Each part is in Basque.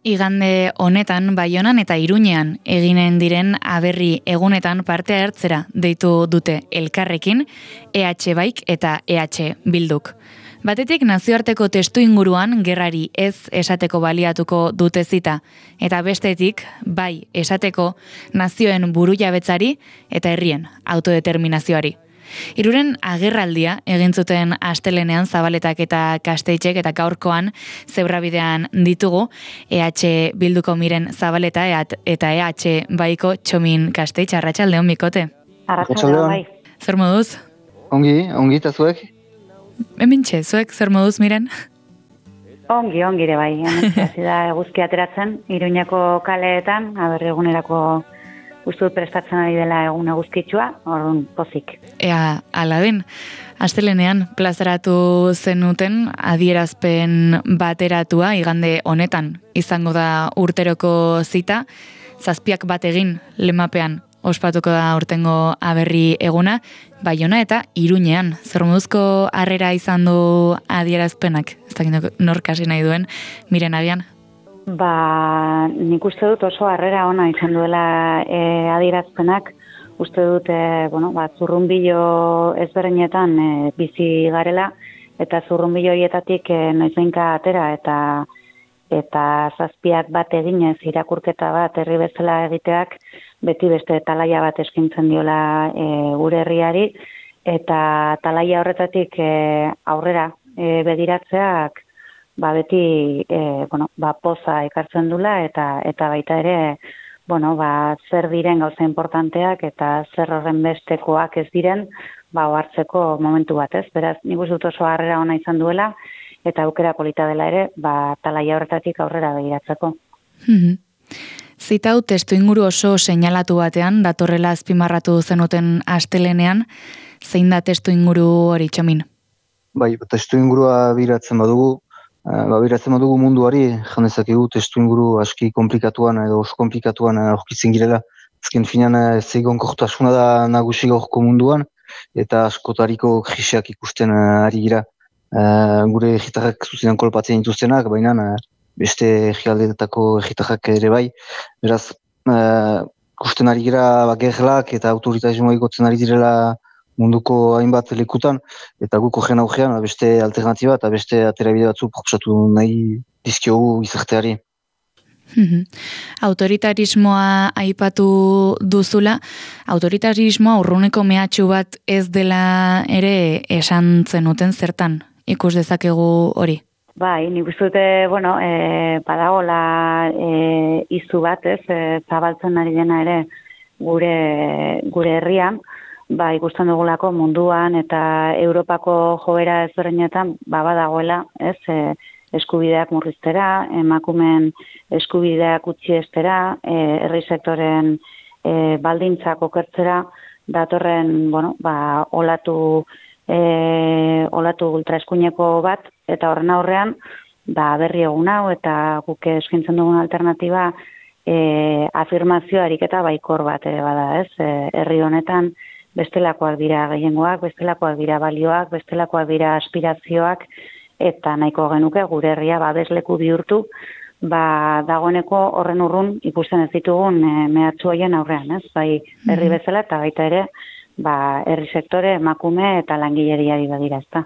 Igande honetan, Baionan eta Iruñean eginen diren aberri egunetan partea hartzera deitu dute elkarrekin EH Baik eta EH Bilduk. Batetik nazioarteko testu inguruan gerrari ez esateko baliatuko dute zita, eta bestetik bai esateko nazioen burujabetzari eta herrien autodeterminazioari. Hiruren agerraldia egin zuten astelenean Zabaletak eta Gaztetxek eta gaurkoan Zebrabidean ditugu EH Bilduko Miren Zabaleta eta EH Baiko Txomin Gaztetx. Arratsaldeon bikote. Arratsaldeon bai. Zer moduz? Ongi eta zuek? Hementxe, zuek zer moduz Miren? Ongi ere bai. Hasi da eguzki ateratzen Iruñako kaleetan, aberri egunerako uste prestatzen ari dela egun eguzkitsua, orduan pozik. Ea, ala den, astelenean plazaratu zenuten adierazpen bateratua igande honetan izango da urteroko zita, 7 bat egin lemapean ospatuko da urtengo aberri eguna, Baiona eta Iruñean. Zer moduzko harrera izan du adierazpenak? Ez dakit nork hasi nahi duen, Miren agian? Nik uste dut oso harrera ona izan duela adierazpenak. Uste dut, zurrunbilo ezberdinetan bizi garela, eta zurrunbilo horietatik noizbehinka atera, eta 7 bat eginez irakurketa bat herri bezala egiteak, beti beste talaia bat eskintzen diola gure herriari, eta talaia horretatik aurrera begiratzeak beti poza ekartzen dula eta baita ere zer diren gauza importanteak eta zer horren bestekoak ez diren hartzeko momentu bat, ez? Beraz, nik uste dut oso harrera ona izan duela eta aukera polita dela ere, talaia horretatik aurrera begiratzeko. Zita hau testu inguru oso seinalatu batean, datorrela azpimarratu zenuten astelenean, zein da testu inguru hori, Txomin? Bai, testu ingurua biratzen badugu munduari, janezakegu testu inguru aski komplikatuan edo oso komplikatuan aurkitzen girela. Azken finean egonkortasuna da nagusi gaurko munduan eta askotariko krisiak ikusten ari gira. Gure egitarrak zuzenan kolpatzen dituztenak, baina beste egialdetako egitarrak ere bai. Beraz, ikusten ari gira gerlak eta autoritarismoa igotzen ari direla munduko hainbat lekutan, eta guk horren aurrean beste alternatiba eta beste aterabide batzu proposatu nahi dizkiogu gizarteari. Autoritarismoa aipatu duzula, autoritarismoa urruneko mehatxu bat ez dela ere esan zenuten zertan, ikus dezakegu hori? Bai, nik uste dute, badagola izu bat, zabaltzen ari dena ere gure herrian, ikusten dugulako munduan eta Europako joera ezberdinetan badagoela, eskubideak murriztera, emakumeen eskubideak utziestera, herri sektoren baldintzak okertzera, datorren, olatu ultraeskuineko bat, eta horren aurrean, berri egun hau eta guk eskintzen dugun alternatiba afirmazio ariketa baikor bat ere bada, herri honetan, bestelakoak dira gehiengoak, bestelakoak dira balioak, bestelakoak dira aspirazioak, eta nahiko genuke gure herria babesleku bihurtu, dagoeneko horren urrun ikusten ez ditugun mehatxu horien aurrean, ez? Bai herri bezala eta baita ere, herri sektore, emakume eta langileriari badira, ezta.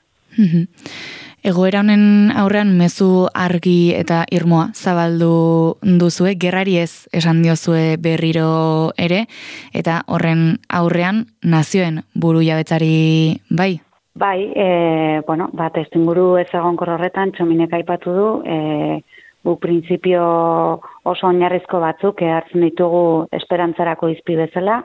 Egoera honen aurrean mezu argi eta irmoa zabaldu duzue, gerrari ez esan diozue berriro ere, eta horren aurrean nazioen burujabetzari bai? Bai, testu inguru ezagonkor horretan Txominek aipatu du, guk printzipio oso oinarrizko batzuk hartzen ditugu esperantzarako izpi bezala,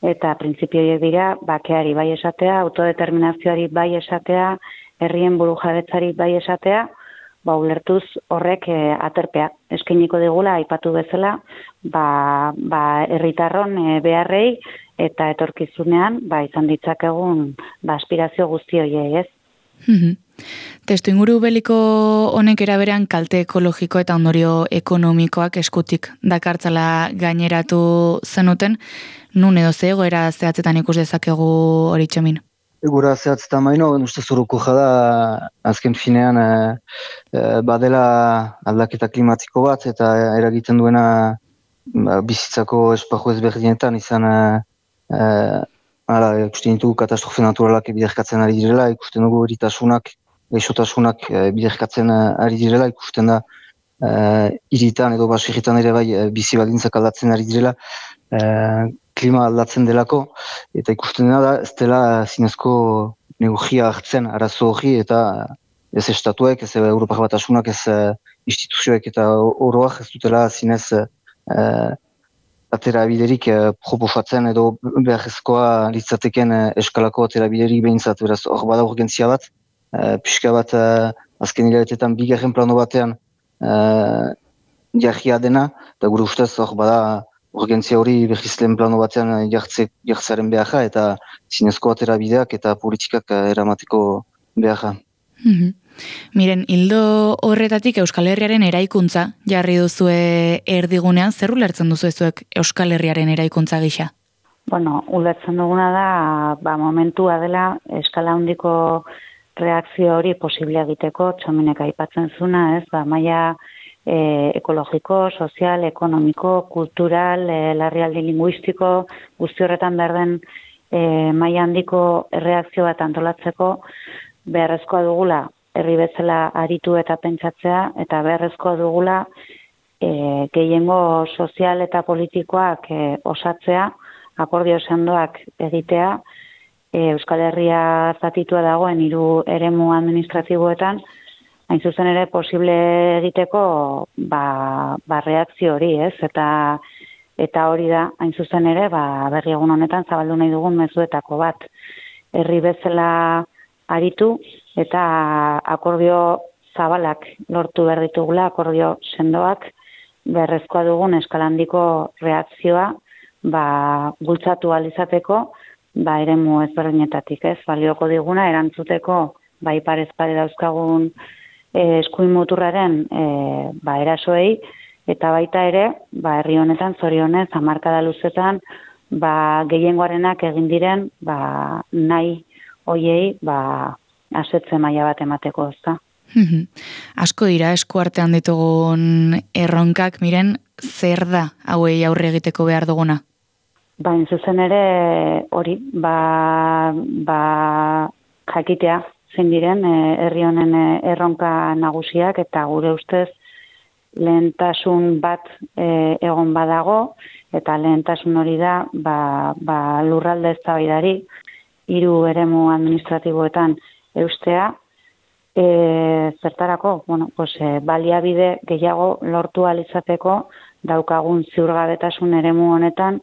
eta printzipio horiek dira bakeari bai esatea, autodeterminazioari bai esatea, herrien burujabetzari bai esatea, ulertuz horrek aterpea eskainiko digula aipatu bezala, herritarron beharrei eta etorkizunean izan ditzakegun aspirazio guzti horiei, ez? Testu inguru beliko honek eraberean kalte ekologiko eta ondorio ekonomikoak eskutik dakartzala gaineratu zenuten, nun edo ze egoera zehatzetan ikus dezakegu hori, Txomin? Egura zehatz eta maino, uste zuruko jada, azken finean badela aldaketa klimatiko bat, eta eragiten duena bizitzako espaju ezberdinetan izan ikusten ditugu katastrofe naturalak biderkatzen ari direla, ikusten dugu eritasunak, gaixotasunak biderkatzen ari direla, ikusten da hiritan edo baserritan ere bai bizi baldintzak aldatzen ari direla, klima aldatzen delako, eta ikusten da ez dela zinezko neurria hartzen arazo hori, eta ez estatuek, ez Europar Batasunak, ez instituzioek eta oroak ez dutela zinez aterabiderik proposatzen edo beharrezkoa litzateken eskalako aterabiderik behintzat, beraz hor bada urgentzia bat, pixka bat azken hilabetetan bigarren plano batean jarria dena, eta gure ustez hor bada urgentzia hori berriz lehen plano batean jartzearen beharra eta zinezko aterabideak eta politikak eramateko beharra. Miren, hildo horretatik Euskal Herriaren eraikuntza jarri duzue erdigunean, zer ulertzen duzuezuek Euskal Herriaren eraikuntza gisa? Bueno, ulertzen duguna da, momentua dela eskala handiko reakzio hori posible egiteko, Txominek aipatzen zuna, ez, maila ekologiko, sozial, ekonomiko, kultural, larrialdi linguistiko, guzti horretan behar den maila handiko reakzio bat antolatzeko, beharrezkoa dugula herri bezala aritu eta pentsatzea, eta beharrezkoa dugula gehiengo sozial eta politikoak osatzea, akordio sendoak egitea, Euskal Herria zatitua dagoen 3 eremu administratiboetan, hain zuzen ere posible egiteko reakzio hori, ez? Eta hori da, hain zuzen ere, berri egun honetan zabaldu nahi dugun mezuetako bat. Herri bezala aritu eta akordio zabalak lortu behar ditugula, akordio sendoak, beharrezkoa dugun eskalandiko reakzioa bultzatu alizateko, eremu ezberdinetatik, ez? Balioko diguna erantzuteko parez pare dauzkagun eskuin muturraren erasoei, eta baita ere, herri honetan zorionez, hamarkada luzetan, gehiengoarenak egin diren, nahi hoiei, asetze maila bat emateko, ezta. Asko dira, eskuartean ditugun erronkak, miren, zer da hauei aurre egiteko behar duguna? Hain zuzen ere hori, jakitea zein diren herri honen erronka nagusiak, eta gure ustez lehentasun bat egon badago, eta lehentasun hori da lurralde eztabaidari 3 eremu administratiboetan eustea, zertarako, baliabide gehiago lortu ahal izateko daukagun ziurgabetasun eremu honetan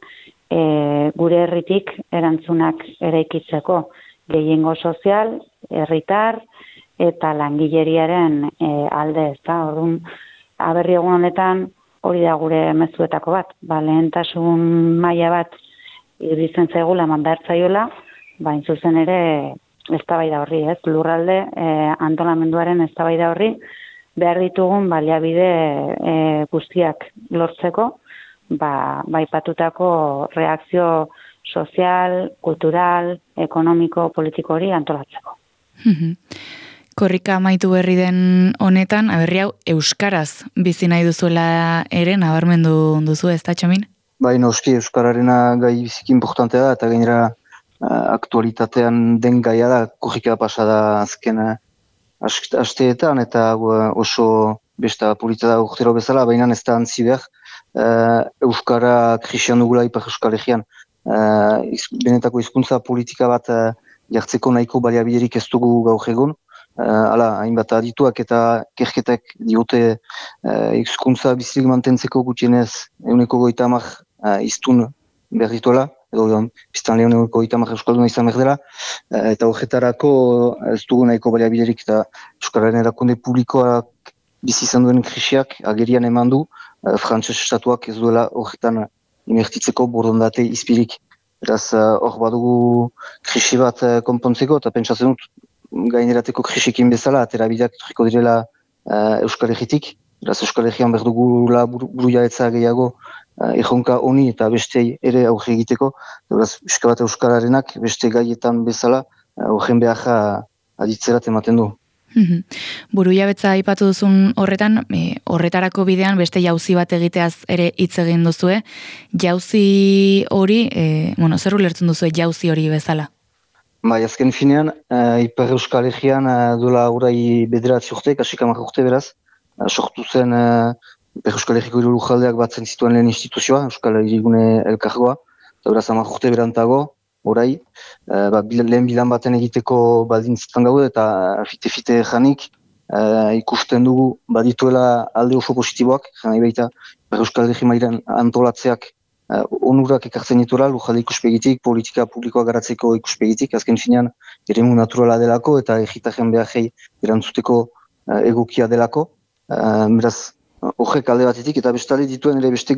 gure herritik erantzunak eraikitzeko, gehiengo sozial, herritar eta langileriaren alde, ezta. Orduan, aberri egun honetan hori da gure mezuetako bat, lehentasun maila bat iruditzen zaigula eman behar zaiola, hain zuzen ere eztabaida horri, ez? Lurralde antolamenduaren eztabaida horri behar ditugun baliabide guztiak lortzeko, aipatutako reakzio sozial, kultural, ekonomiko, politiko hori antolatzeko. Korrika amaitu berri den honetan, aberri hau euskaraz bizi nahi duzuela ere nabarmendu duzu, ez da, Txomin? Noski euskararena gai biziki importantea da, eta gainera aktualitatean den gaia da, korrika pasada azken asteetan, eta oso besta polita da urtero bezala, baina ez da antzi behar, euskara krisian dugula Ipar Euskal Herrian. Benetako hizkuntza politika bat jartzeko nahiko baliabiderik ez dugu gaur egun. Hainbat adituak eta kerketak diote hizkuntza bizirik mantentzeko gutxienez 150 hiztun behar dituela, edo biztan lehen 150 euskalduna izan behar dela, eta horretarako ez dugu nahiko baliabiderik, eta euskararen erakunde publikoak bizi izan duen krisiak agerian eman du, frantses estatuak ez duela horretan inbertitzeko borondate izpirik. Beraz, hor badugu krisi bat konpontzeko, eta pentsatzen dut gainerateko krisikin bezala, aterabideak etorriko direla Euskal Herritik. Beraz, Euskal Herrian behar dugula burujaetza gehiago erronka honi eta bestei ere aurre egiteko. Beraz, pixka bat euskararenak beste gaietan bezala horren beharra aditzerat ematen du. Burujabetza aipatu duzun horretan, horretarako bidean beste jauzi bat egiteaz ere hitz egin duzue. Jauzi hori, zer ulertzen duzue jauzi hori bezala? Bai, azken finean, Ipar Euskal Herrian duela orai bederatzi urte, kasik 10 urte beraz, sortu zen Ipar Euskal Herriko hiru lujaldeak batzen zituen lehen instituzioa, Euskal Hirigune Elkargoa, eta beraz 10 urte berantago, orai, lehen bilan baten egiteko baldintzetan gaude eta fite-fite janik ikusten dugu badituela alde oso positiboak, jana baita Euskal Herri mailan antolatzeak onurak ekartzen dituela lujalde ikuspegitik, politika publikoa garatzeko ikuspegitik, azken finean eremu naturala delako eta egitaren beharrei erantzuteko egokia delako. Beraz, horrek alde batetik eta bestale dituen ere beste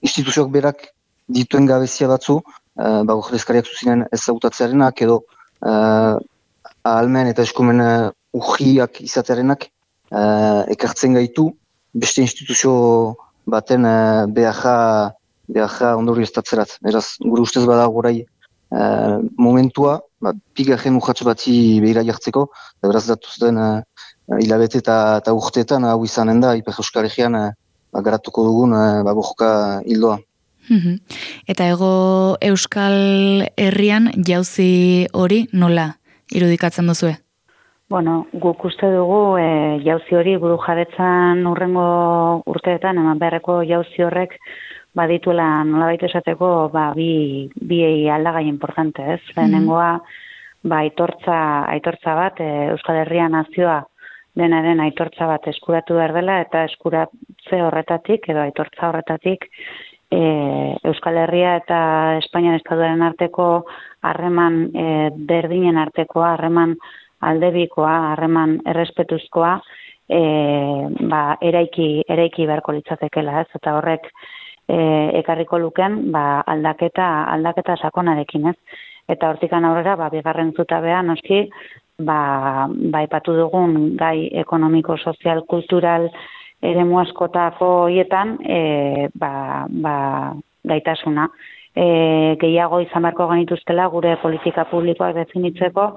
instituzioak berak dituen gabezia batzu, ordezkariak zuzinen ezagutatzearenak edo ahalmen eta eskumen urriak izatearenak ekartzen gaitu beste instituzio baten beharra ondorioztatzerat. Eraz, gure ustez badago orai momentua, bigarren urratx bati behira jartzeko, eta beraz datuz den hilabete eta urteetan hau izanen da Ipar Euskal Herrian garatuko dugun borroka hildoa. Eta Hego Euskal Herrian jauzi hori nola irudikatzen duzue? Bueno, guk uste dugu jauzi hori burujabetzan urrengo urteetan, eman beharreko jauzi horrek badituela nolabait esateko bi aldagai importante, ez? Lehenengoa aitortza bat, Euskal Herria nazioa denaren aitortza bat eskuratu behar dela eta eskuratze horretatik edo aitortza horretatik Euskal Herria eta Espainian estatuaren arteko harreman berdinen artekoa, harreman aldebikoa, harreman errespetuzkoa eraiki beharko litzatekeela, ez? Eta horrek ekarriko luken aldaketa sakonarekin, ez? Eta hortikan aurrera bigarren zutabea noski aipatu dugun gai ekonomiko, sozial, kultural eremu askotako hietan gaitasuna. Gehiago izan beharko genituztela gure politika publikoak definitzeko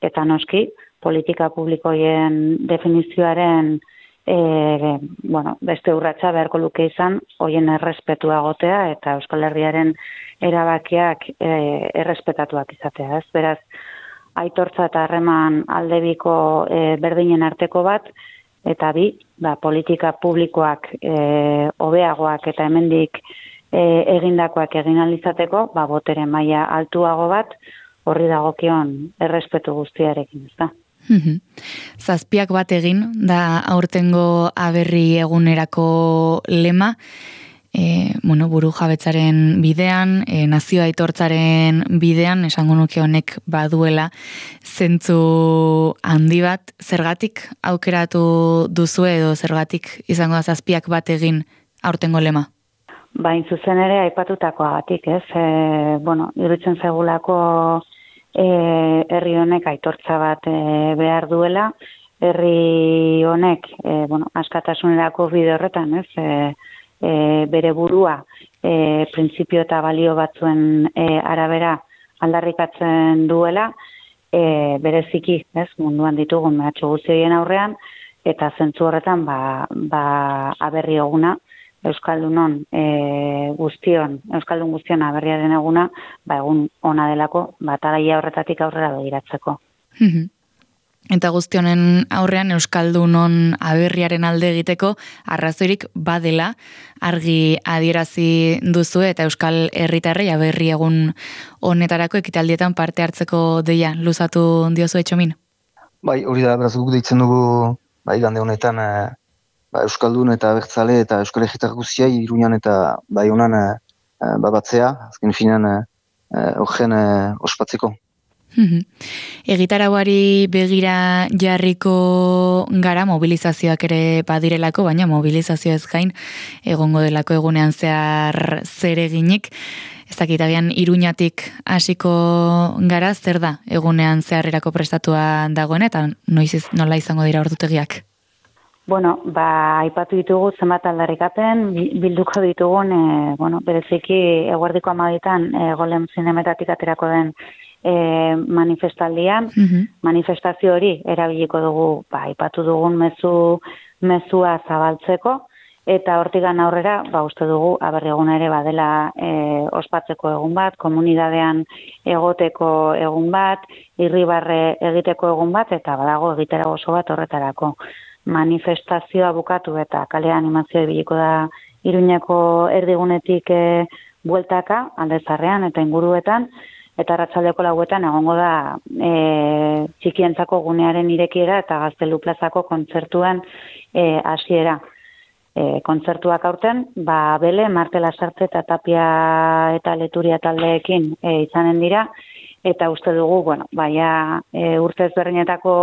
eta noski politika publikoien definizioaren beste urratsa beharko luke izan hoien errespetua egotea eta Euskal Herriaren erabakiak errespetatuak izatea, ez? Beraz, aitortza eta harreman aldebiko berdinen arteko bat, eta politika publikoak hobeagoak eta hemendik egindakoak egin ahal izateko, botere maila altuago bat, horri dagokion errespetu guztiarekin, ezta? Zazpiak bat egin da aurtengo aberri egunerako lema, buru jabetzaren bidean, nazio aitortzaren bidean, esango nuke honek baduela zentzu handi bat, zergatik aukeratu duzu edo zergatik izango da zazpiak bat egin aurtengo lema? Bain zuzen ere aipatutakoagatik, ez? Iruditzen zaigulako herri honek aitortza bat behar duela, herri honek askatasunerako bide horretan, ez? Bere burua printzipio eta balio batzuen arabera aldarrikatzen duela, bereziki, ez? Munduan ditugun mehatxu guztien aurrean, eta zentzu horretan aberri eguna, Euskaldun guztion aberriaren eguna, egun ona delako, talaia horretatik aurrera begiratzeko. Eta guztionen aurrean Euskaldunon aberriaren alde egiteko arrazoirik badela argi adierazi duzu eta Euskal Herritarrei aberri egun honetarako ekitaldietan parte hartzeko deia luzatu diozu Etxomin? Bai, hori da, beraz guk deitzen dugu igande honetan Euskaldun eta abertzale eta Euskal Herritar guztiai Iruñan eta Baionan batzea, azken finean horren ospatzeko. Egitarauari begira jarriko gara mobilizazioak ere badirelako, baina mobilizazio ez gain egongo delako egunean zehar zereginik. Ez dakitagian Iruñatik hasiko gara, zer da egunean zeharrerako prestatua dagoen eta nola izango dira ordutegiak? Aipatu ditugu zenbat aldarrikapen, bilduko ditugun, bereziki eguerdiko 12 golem zinemetatik aterako den manifestaldian, manifestazio hori erabiliko dugu, aipatu dugun mezua zabaltzeko, eta hortigan aurrera, uste dugu, aberri eguna ere badela ospatzeko egun bat, komunidadean egoteko egun bat, irribarre egiteko egun bat, eta badago egitera oso bat horretarako. Manifestazioa bukatu eta kale animazioa ibiliko da Iruñeko erdigunetik bueltaka, Aldezarrean eta inguruetan, eta arratsaldeko 4etan egongo da txikientzako gunearen irekiera eta Gaztelu plazako kontzertuen hasiera. Kontzertuak aurten, Bele, Marte Lasarte eta Tapia eta Leturia taldeekin izanen dira, eta uste dugu, urte ezberdinetako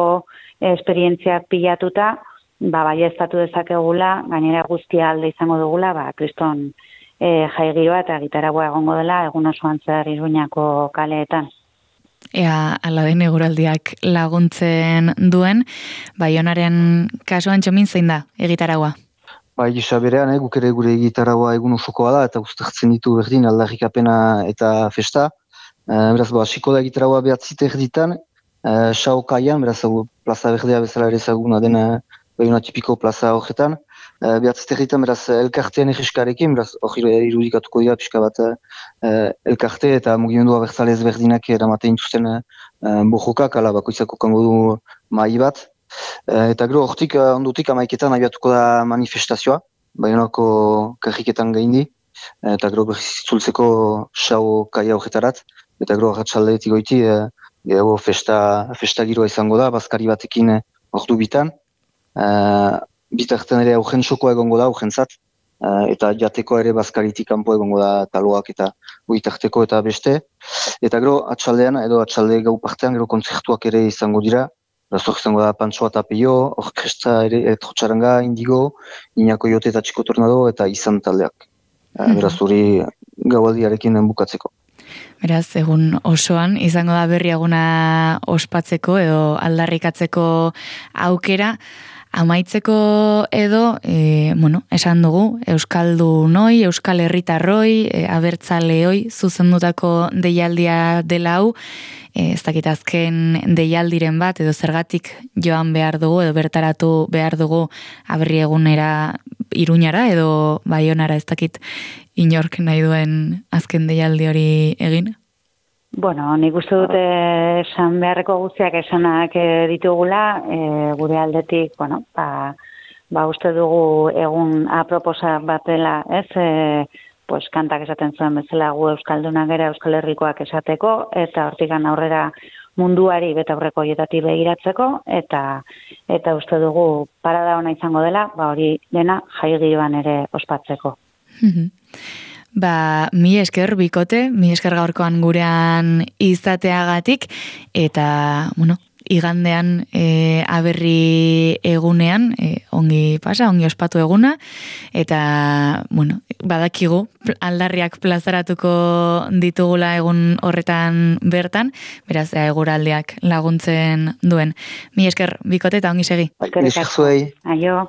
esperientziak pilatuta, baieztatu dezakegula, gainera guztia alde izango dugula, kriston jaigiroa eta gitaragua egongo dela, egun osoan zehar Iruñako kaleetan. Ea ala den eguraldiak laguntzen duen, Baionaren kasuan Txomin zein da egitaragua? Gisa berean, guk ere gure gitaragua egun osokoa da, eta uztartzen ditu berdin aldarrikapena eta festa. Beraz, hasiko da gitaragua 9 erditan, Saokaian, beraz, plaza berdea bezala ere ezaguna dena Baiona tipiko plaza horretan. 9 erditan, beraz, elkartean egiskarekin, beraz, hori irudikatuko dira pixka bat elkarte eta mugimendu abertzale ezberdinak eramaten dituzten bojokak, ala bakoitzako kango du mahai bat. Eta gero, hortik ondutik 11etan abiatuko da manifestazioa, Baionako karriketan gaindi, eta gero berrizitzultzeko Saokaia horretarat, eta gero arratsaldetik goiti festa giroa izango da, bazkari batekin ordu bitan. Bitarten ere aurrentsoko egongo da, aurrentzat, eta jateko ere bazkaritik kanpo egongo da taloak eta bitarteko eta beste. Eta gero atxaldean, edo atxalde gau partean, gero kontzertuak ere izango dira. Hor izango da Pantsoa eta Peio, orkestra ere Elektrotxaranga, Indigo, Iñako Jote eta Txiko Tornado eta Izan taldeak. Beraz hori gaualdiarekin bukatzeko. Beraz, egun osoan, izango da berriaguna ospatzeko edo aldarrikatzeko aukera, amaitzeko edo, esan dugu, Euskaldunoi, Euskal Herritarroi, abertzaleoi, zuzendutako deialdia dela hau, ez dakit azken deialdiren bat, edo zergatik joan behar dugu, edo bertaratu behar dugu aberri egunera Iruñara, edo Baionara, ez dakit inork nahi duen azken deialdi hori egin? Nik uste dute esan beharreko guztiak esanak ditugula, gure aldetik, uste dugu egun aproposa bat dela, kantak esaten zuen bezala gu Euskaldunak gara Euskal Herrikoak esateko, eta hortikan aurrera munduari beta aurreko hietatik begiratzeko, eta uste dugu parada ona izango dela, hori dena jaigiroan ere ospatzeko. Mi esker bikote, mi esker gaurkoan gurean izateagatik, eta, igandean aberri egunean, ongi ospatu eguna, eta, badakigu aldarriak plazaratuko ditugula egun horretan bertan, beraz, eguraldiak laguntzen duen. Mi esker bikote eta ongi segi. Mi esker zuei. Aio.